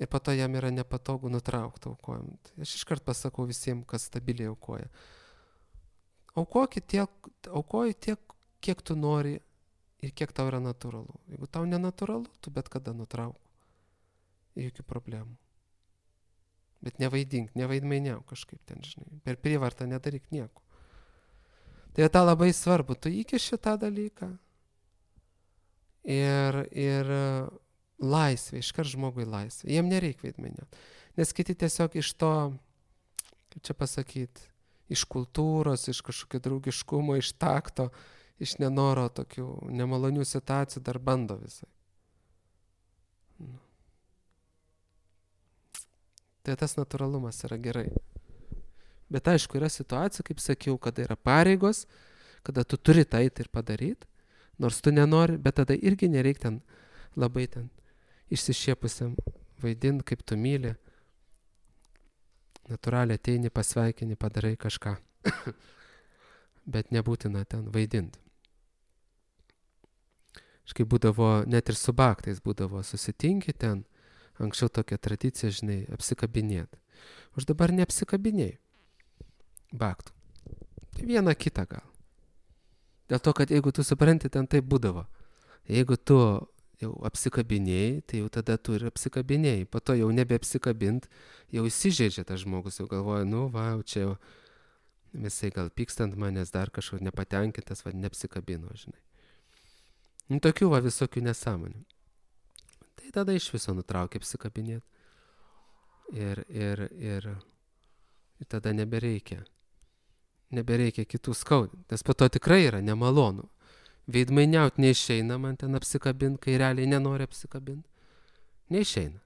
S2: Ir po to jam yra nepatogu nutraukti aukojant. Aš iškart pasakau visiems, kas stabiliai aukoja. Aukoji tiek, kiek tu nori ir kiek tau yra natūralu. Jeigu tau nenatūralu, tu bet kada nutrauk. Jokių problemų. Bet nevaidink, nevaidmainiauk kažkaip ten, žinai. Per prievartą nedaryk nieko. Tai tą labai svarbu. Tu įkiši tą dalyką. Ir laisvė, iškart žmogui laisvė. Jiem nereikia vaidmainiauti. Nes kiti tiesiog iš to, kaip čia pasakyti, iš kultūros, iš kažkokio draugiškumo, iš takto, iš nenoro tokių nemalonių situacijų dar bando visai. Tai tas natūralumas yra gerai. Bet aišku, yra situacija, kaip sakiau, kada yra pareigos, kada tu turi tai ir padaryti, nors tu nenori, bet tada irgi nereikia ten labai ten išsišiepusiam vaidinti, kaip tu myli. Natūraliai ateini, pasveikini, padarai kažką. Bet nebūtina ten vaidinti. Škai būdavo, net ir su baktais būdavo, susitinki ten, anksčiau tokia tradicija, žinai, apsikabinėti. Už dabar neapsikabinėjai baktų. Tai vieną kitą gal. Dėl to, kad jeigu tu supranti, ten taip būdavo. Jeigu tu jau apsikabinėjai, tai jau tada tu ir apsikabinėjai. Po to jau nebeapsikabint, jau įsižeidžia tas žmogus, jau galvoja, čia jau visai gal pykstant manęs dar kažko nepatenkintas, neapsikabino, žinai. Tokių visokių nesąmonių. Tai tada iš viso nutraukia apsikabinėti. Ir tada nebereikia. Nebereikia kitų skaudinti, nes po to tikrai yra nemalonu. Veidmainiaut neišeina man ten apsikabinti, kai realiai nenori apsikabinti. Neišeina.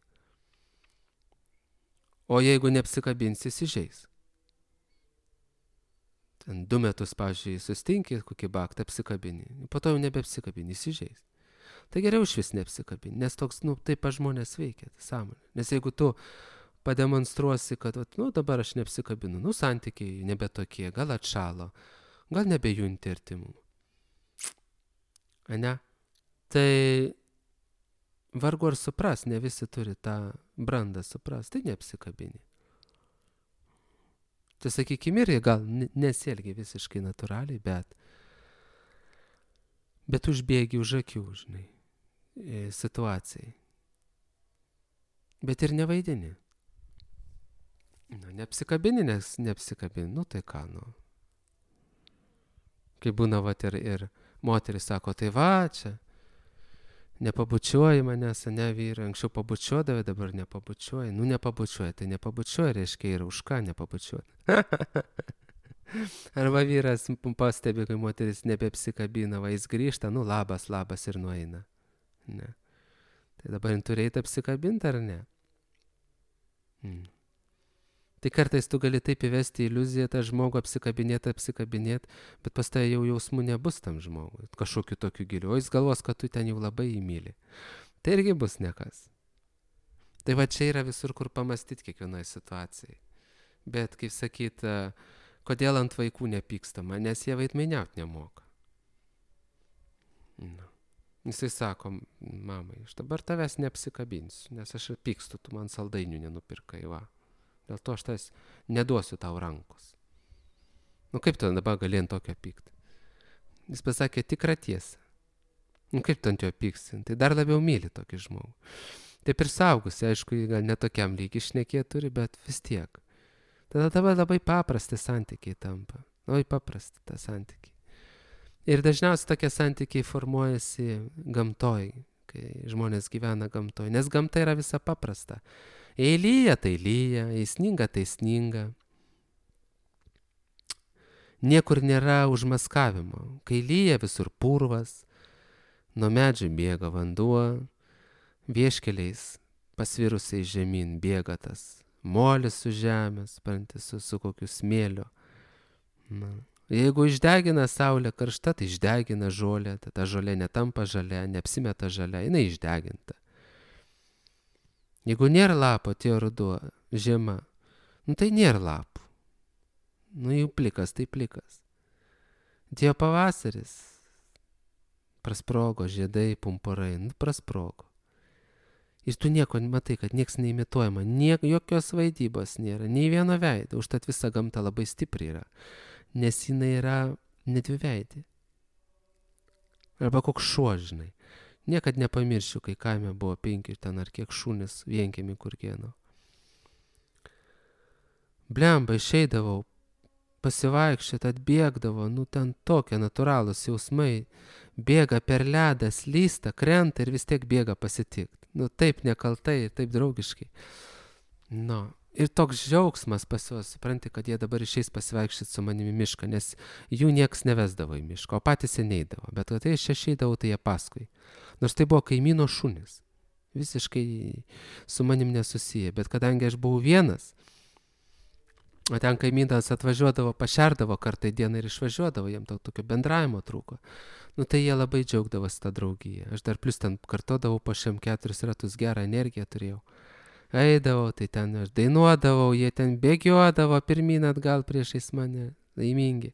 S2: O jeigu neapsikabinsi, įsižeis. Ten 2 metus, pavyzdžiui, sustinki, kokį baktą apsikabini. Po to jau nebeapsikabini, įsižeis. Tai geriau iš vis neapsikabini, nes toks, taip žmonės veikia, sąmonė. Nes jeigu tu pademonstruosi, kad, dabar aš neapsikabinu, santykiai nebe tokie, gal atšalo, gal nebejunti artimų. Ne? Tai vargu ar supras, ne visi turi tą brandą supras, tai neapsikabini. Tai sakykime, ir gal nesielgi visiškai natūraliai, bet užbėgi už akių, žinai, situacijai. Bet ir nevaidini. Neapsikabini, nes neapsikabini, tai ką, Kai būna ir moteris sako, tai čia, nepabučiuoji manęs, vyrai, anksčiau pabučiuodavai, dabar nepabučiuoji. Nepabučiuoji, tai nepabučiuoji, reiškia ir už ką nepabučiuoti. Arba vyras pastebi, kai moteris nebeapsikabina, jis grįžta, labas ir nueina. Ne. Tai dabar turi eiti apsikabinti ar ne? Tai kartais tu gali taip įvesti iliuziją, tą žmogų apsikabinėti, bet pas tai jau jausmų nebus tam žmogui, kažkokiu tokiu giliu, o jis galvos, kad tu ten jau labai įmyli. Tai irgi bus nekas. Tai čia yra visur, kur pamastyti kiekvienoje situacijai. Bet, kaip sakyt, kodėl ant vaikų nepykstama, nes jie vaidmainiauti nemoka. Jisai sako, mamai, aš dabar tavęs neapsikabinsiu, nes aš pykstu, tu man saldainių nenupirkai, Dėl to aš tas neduosiu tau rankos. Kaip tu dabar gali ant tokio pykti? Jis pasakė tikrą tiesą. Kaip tu ant jo pyksti? Tai dar labiau myli tokį žmogų. Taip ir saugusi, aišku, gal netokiam lygiai šnekėti turi, bet vis tiek. Tada labai paprasti santykiai tampa. Labai paprasti tą santykiai.
S1: Ir dažniausiai tokie santykiai formuojasi gamtoj, kai žmonės gyvena gamtoj, nes gamta yra visa paprasta. Jei lyja, tai lyja, jei sninga, tai sninga. Niekur nėra užmaskavimo. Kai lyja, visur purvas, nuo medžių bėga vanduo, vieškeliais pasvirusiai žemyn bėga tas molis su žemės, su kokiu smėliu. Na. Jeigu išdegina saulė karšta, tai išdegina žolę, tai ta žolė netampa žalia, neapsimeta žalia, jinai išdeginta. Jeigu nėra lapo, atėjo ruduo, žiema, tai nėra lapų. Jau plikas, tai plikas. Atėjo pavasaris, prasprogo žiedai, pumpurai, prasprogo. Ir tu nieko matai, kad nieks neimituojama, jokios vaidybos nėra, nei vieno veido, užtat visa gamta labai stipri yra, nes jinai yra nedviveidė. Arba koks šuo, žinai. Niekad nepamiršiu, kai kaime buvo 5 ten ar kiek šunis vienkiemy kurkieno. Blemba, išeidavau, pasivaikščiot, atbėgdavo, ten tokie natūralūs jausmai, bėga per ledą, slysta, krenta ir vis tiek bėga pasitikt. Taip nekaltai, taip draugiškai. Ir toks džiaugsmas pas juos, supranti, kad jie dabar išeis pasivaikščioti su manimi mišką, nes jų nieks nevesdavo į mišką, o patys jie neidavo. Bet kai aš išeidavau, tai jie paskui. Nors tai buvo kaimyno šunis. Visiškai su manim nesusiję. Bet kadangi aš buvau vienas, o ten kaimynas atvažiuodavo, pašerdavo kartą į dieną ir išvažiuodavo, jiem tokio bendravimo trūko. Tai jie labai džiaugdavosi tą draugiją. Aš dar plus ten kartodavau po 4 ratus, gerą energiją turėjau. Eidavau, tai ten aš dainuodavau, jie ten bėgiodavo pirmyn atgal priešais mane, laimingi.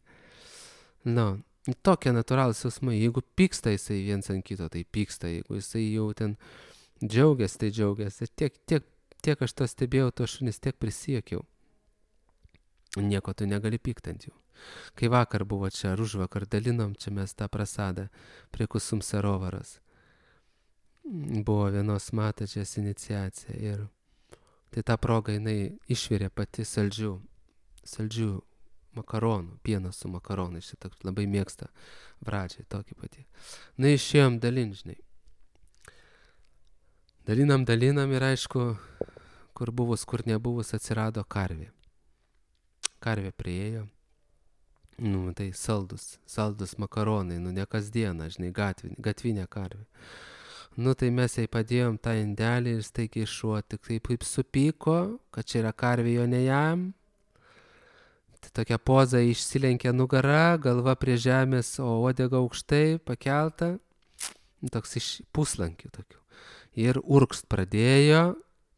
S1: Tokie natūralūs jausmai. Jeigu pyksta jisai viens ant kito, tai pyksta. Jeigu jisai jau ten džiaugiasi, tai džiaugiasi. Tiek aš to stebėjau, to šunis tiek prisijokiau. Nieko tu negali pykti ant jų. Kai vakar buvo čia, ar užvakar dalinom, čia mes tą prasadą prie Kusum Sarovaros. Buvo vienos matačias iniciacija ir tai tą progą jinai išvirė pati saldžių makaronų, pieno su makaronai, šitą labai mėgsta Vradžiai, tokį patį. Išėjom žinai. Dalinam ir aišku, kur buvus, kur nebuvus, atsirado karvė. Karvė priėjo, tai saldus makaronai, ne kasdieną, žinai, gatvinė karvė. Tai mes jai padėjom tą indelį ir staigiai šuo tik taip supyko, kad čia yra karvė, jo ne jam. Tai tokia poza išsilenkė nugarą, galva prie žemės, o uodega aukštai pakelta, toks iš puslankių tokių. Ir urkst pradėjo.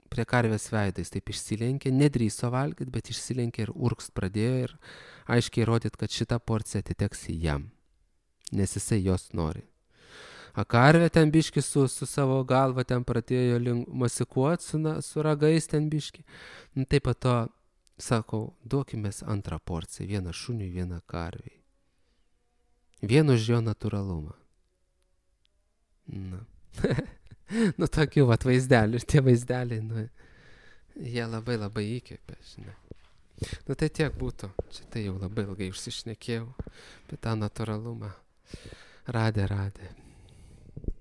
S1: Prie karvės veidais taip išsilenkė, nedrįso valgyti, bet išsilenkė ir urkst pradėjo ir aiškiai rodyti, kad šita porcija atiteks jam, nes jisai jos nori. A karvė ten biški su savo galva ten pradėjo masikuoti su ragais ten biški. Taip pat to sakau, duokimės antrą porciją, vieną šuniui, vieną karviai. Vien už jo natūralumą. Tokių vaizdelių ir tie vaizdeliai, jie labai labai įkvėpia, žinai. Tai tiek būtų. Čia tai jau labai ilgai užsišnekėjau apie tą natūralumą. Radė.